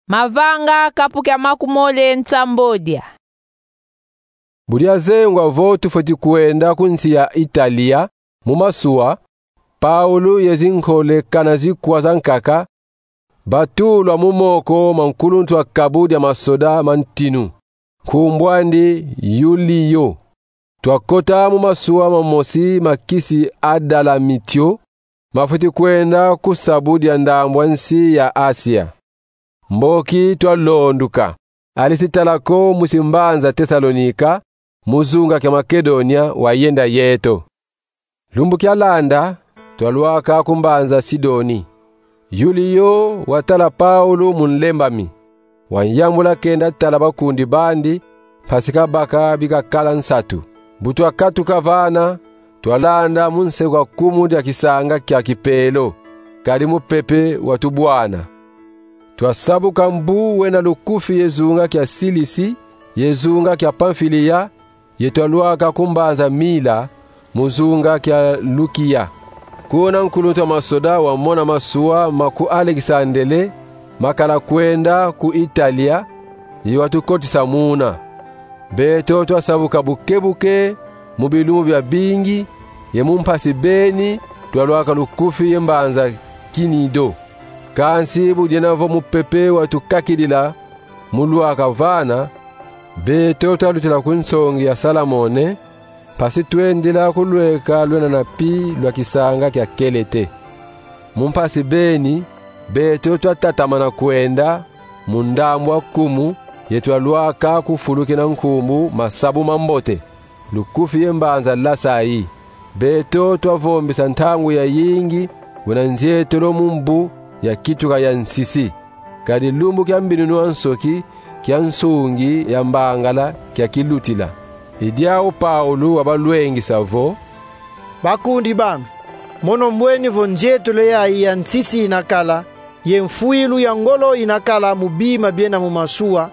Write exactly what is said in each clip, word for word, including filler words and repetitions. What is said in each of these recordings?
Mavanga kapu kia makumole nsambodia. Bu diazengwa vo tufweti kwenda ku nsi ya Italia mu masuwa, Paulo ye zinkole kana zikwa zankaka batulwa mu moko ma nkuluntu a kabu dia masoda ma ntinu, nkumbu andi Yuliyo. Twakota mu masuwa mamosi ma kisi Adalamitio, mafweti kwenda ku sabu dia ndambu a nsi ya Asia. Mboki twalonduka, Alisitalako, musi mbanza Tesalonika, mu zunga kia Makedonia, wayenda yeto. Lumbu kialanda, twalwaka ku mbanza Sidoni. Yuliyo watala Paulo mu nlembami, wanyambula kenda tala bakundi bandi, mpasi kabaka bikakala nsatu. Bu twakatuka vana, twalanda mu nse kwa kumu dia kisanga kia Kipelo, kadi mupepe watubwana. Twasabuka mbu wena lukufi ye zunga kia Silisi ye zunga kia Pamfilia, ye twalwaka ku mbanza Mila, mu zunga kia Lukia. Kuna nkuluntu a masoda wamona masuwa ma ku Alekisandele makala kwenda ku Italia, ye watukotisa muna. Beto twasabuka buke-buke mu bilumbu biabingi, ye mu mpasi beni twalwaka lukufi ye mbanza Kinido. Kansi bu diena vo mupepe watukakidila mu lwaka vana, beto twalutila ku nsongi ya Salamone, mpasi twendila ku lweka lwena na pi lwa kisanga kia Kelete. Mu mpasi beni, beto twatatamana kwenda mu ndambu a kumu, ye twalwaka ku fulu kina nkumbu Masabu Mambote, lukufi ye mbanza Lasai. Beto twavombisa ntangu yayingi wena nzietolo mu mbu ya kituka ya nsisi. Kadi lumbu kia mbinunu a nsoki kia nsungi ya mbangala kiakilutila. I diau Paulo wabalwengisa vo: Bakundi bami, mono mbweni vo nzietolo yayi ya nsisi inakala, ye mfwilu ya ngolo inakala mu bima biena mu masuwa,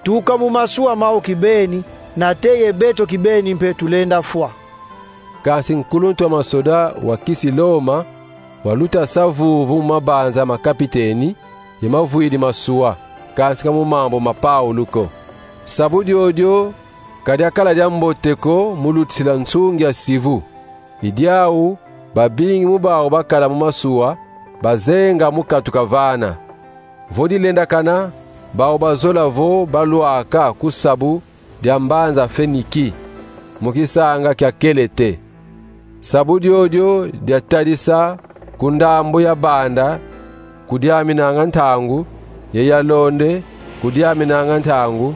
tuka mu masuwa mau kibeni, nate ye beto kibeni mpe tulenda fwa. Kansi nkuluntu a masoda wa kisi Loma waluta sa vuvu mu mabanza ma kapiteni ye mavwidi masuwa, kansi ka mu mambu ma Paulo ko. Sabu diodio ka diakala diambote ko mu lutisila nsungi a sivu. I diau babingi mu bau bakala mu masuwa bazenga mu katuka vana. Vo dilendakana, bau bazola vo balwaka ku sabu dia mbanza Feniki, mu kisanga kia Kelete. Sabu diodio diatadisa ku ndambu ya banda kudiaminanga ntangu, ye ya londe kudiaminanga ntangu,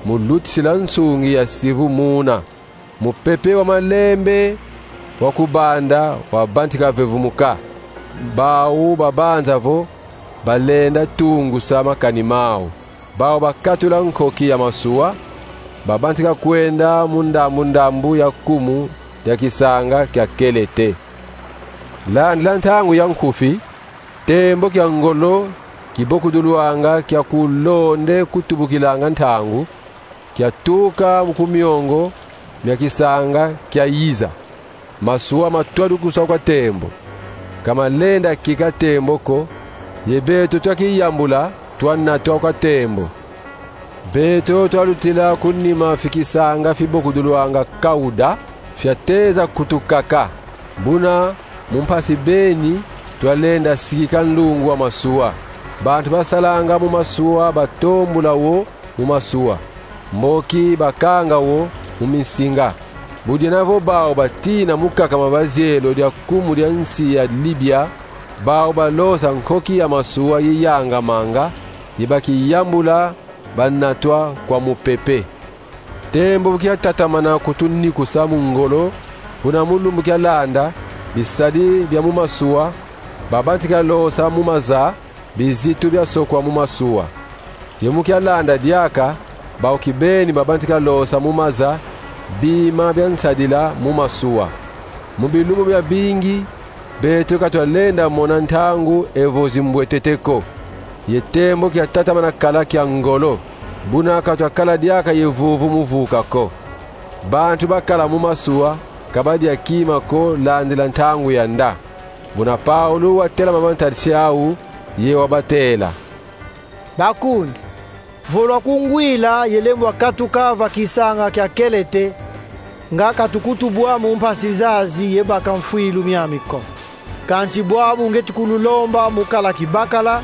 mu lutisila nsungi ya sivu muna. Mupepe wa malembe wa ku banda wabantika vevumuka. Bau babanza vo balenda tungusa makani mau. Bau bakatula nkoki ya masuwa, babantika kwenda mu ndambu-ndambu ya kumu dia kisanga kia Kelete. Landila ntangu ya nkufi, tembo kia ngolo kibokudulwanga kia ku londe kutubukilanga ntangu, kiatuka mu ku miongo mia kisanga kiayiza. Masuwa matwadukuswa kwa tembo. Ka malenda kika tembo ko, ye beto twakiyambula, twanatwa kwa tembo. Beto twalutila ku nima fi kisanga fibokudulwanga Kauda, fiateza kutukaka. Buna mu mpasi beni twalenda sikika nlungu wa masuwa. Bantu basalanga mu masuwa batombula wo mu masuwa, mboki bakanga wo mu minsinga. Bu diena vo bau batina mu kakama bazielo dia kumu dia nsi ya Libia, bau balosa nkoki ya masuwa yiyangamanga, ye bakiyambula banatwa kwa mupepe. Tembo bu kiatatamana kutunikusa mu ngolo, buna mu lumbu kialanda, bisadi bia mu masuwa babantika losa mu maza bizitu biasokwa mu masuwa. Ye mu kialanda diaka, bau kibeni babantika losa mu maza bima bia nsadila mu masuwa. Mu bilumbu biabingi, beto ka twalenda mona ntangu evo zimbwetete ko. Ye tembo kiatatamana kala kia ngolo, buna ka twakala diaka ye vuvu mu vuka ko. Bantu bakala mu masuwa ka badia kima ko landila ntangu ya nda. Buna Paulo watelama mantadisi au, ye wabatela: Bakundi, vo lwakungwila ye lembwa katuka va kisanga kia Kelete, nga katukutubwa mu mpasi zazi ye baka mfwilu miami ko. Kansi bwabu ngieti kululomba mu kala kibakala,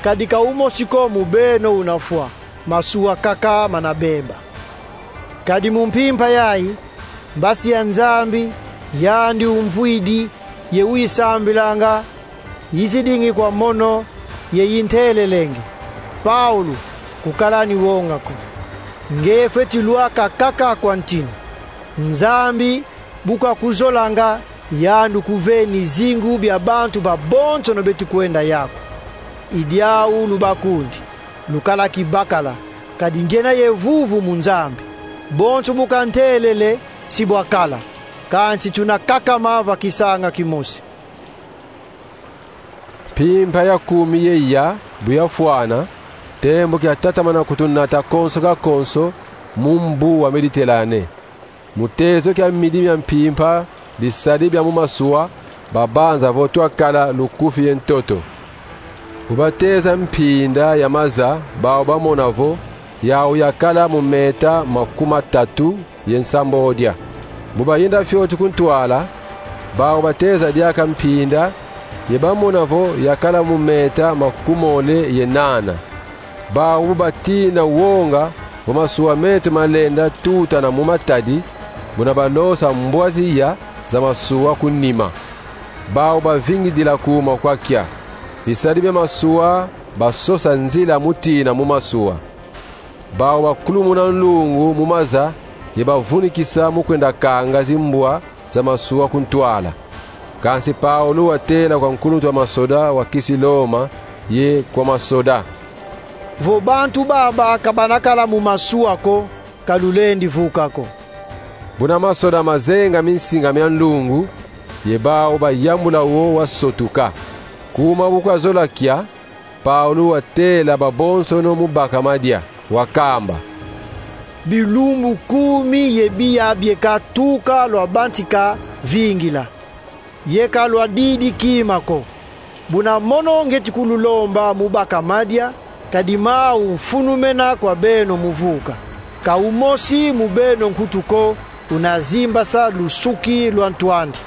kadi ka umosi ko mu beno unafwa, masuwa kaka mana bemba. Kadi mu mpimpa yayi, mbasi ya Nzambi, yandi umvwidi, ye uyisambilanga, yizidingi kwa mono, ye yintelelenge: Paulo, kukala ni wonga ko. Nge fweti lwaka kaka kwa ntinu. Nzambi, bu kakuzolanga, yandi ukuveni zingu bia bantu babonsono beti kwenda yaku. I diau lubakundi, lukala kibakala, kadi ngiena ye vuvu mu Nzambi. Bonso bu kantelele, si bwakala, kansi tuna kakama va kisanga kimosi. Mpimpa ya kumi ye iya, bu yafwana, tembo kiatatamana kutunata konso ka konso mu mbu wa Mediterane. Mu tezo kia midi mia mpimpa, bisadi bia mu masuwa babanza vo twakala lukufi ye ntoto. Bu bateza mpinda ya maza, bau bamona vo yau yakala mu meta makumi matatu ye nsambodia. Bu bayenda fioti ku ntwala, bau bateza diaka mpinda, ye bamona vo yakala mu meta makumole ye nana. Bau batina wonga vo masuwa meto malenda tutana mu matadi, buna balosa mbwa ziya za masuwa ku nima. Bau bavingidila kuma kwa kia. Bisadi bia masuwa basosa nzila mu tina mu masuwa. Bau bakulumuna nlungu mu maza, ye bavunikisa mu kwenda kanga zimbwa za masuwa ku ntwala. Kansi Paulo watela kwa nkuluntu wa masoda wa kisi Loma ye kwa masoda: Vo bantu baba ka banakala mu masuwa ko, ka lulendi vuka ko. Buna masoda mazenga minsinga mia nlungu, ye bau bayambula wo wasotuka. Kuma bu kwazola kia, Paulo watela babonsono mu baka madia, wakamba: Bilumbu kumi ye biya bieka tuka lwabantika vingila, ye ka lwadidi kima ko. Buna mono ngieti kululomba mu baka madia, kadi mau mfunumena kwa beno mu vuka. Ka umosi mu beno nkutu ko una zimbasa lusuki lwa ntu andi.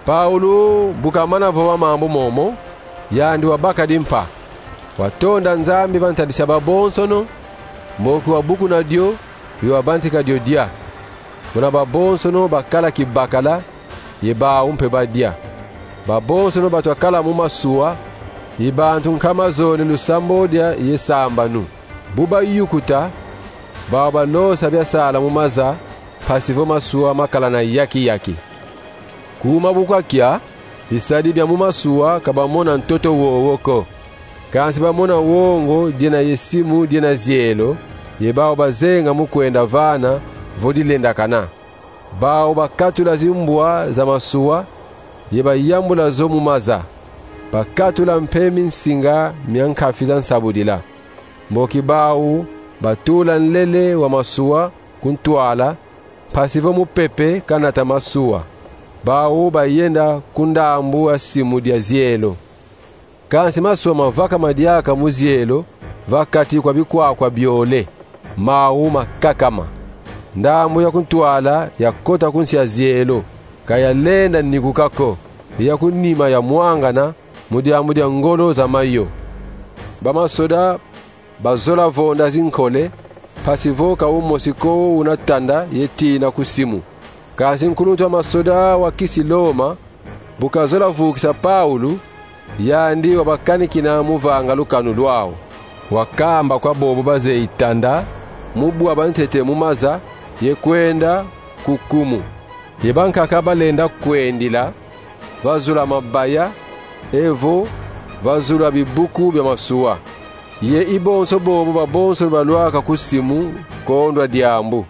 Paulo bu kamana vova mambu momo, yandi wabaka dimpa. Watonda Nzambi va ntadisi ya babonsono, mboki wabukuna dio, ye wabantika dio dia. Buna babonsono bakala kibakala, ye bau mpe badia. Babonsono batwa kala mu masuwa, i bantu nkama zole lusambodia ye sambanu. Bu bayukuta, bau balosa biasala mu maza, mpasi vo masuwa makala na yaki-yaki. Kuma bu kwakia, bisadi bia mu masuwa ka bamona ntoto wowo ko. Kansi bamona wongo diena ye simu diena zielo, ye bau bazenga mu kwenda vana vo dilendakana. Bau bakatula zimbwa za masuwa, ye bayambula zo mu maza. Bakatula mpe minsinga mia nkafi za nsabudila. Mboki bau batula nlele wa masuwa ku ntwala, mpasi vo mupepe kanata masuwa. Bau bayenda ku ndambu ya simu dia zielo. Kansi masuwa mavakama diaka mu zielo, va kati kwa bikwakwa biole. Mau makakama. Ndambu ya ku ntwala yakota ku nsi ya zielo, ka yalenda nikuka ko, ye ya ku nima yamwangana mu diambu dia ngolo za mayo. Bamasoda bazola vonda zinkole, mpasi vo ka umosi ko una tanda ye tina ku simu. Kansi nkuluntu wa masoda wa kisi Loma, bu kazola vukisa Paulo, yandi wabakanikina mu vanga lukanu lwau. Wakamba kwa bobo bazeyi tanda mu bwa bantete mu maza, ye kwenda ku kumu. Ye bankaka balenda kwendila va zulu a mabaya, evo va zulu a bibuku bia masuwa. Ye i bonso bobo babonso balwaka ku simu kondwa diambu.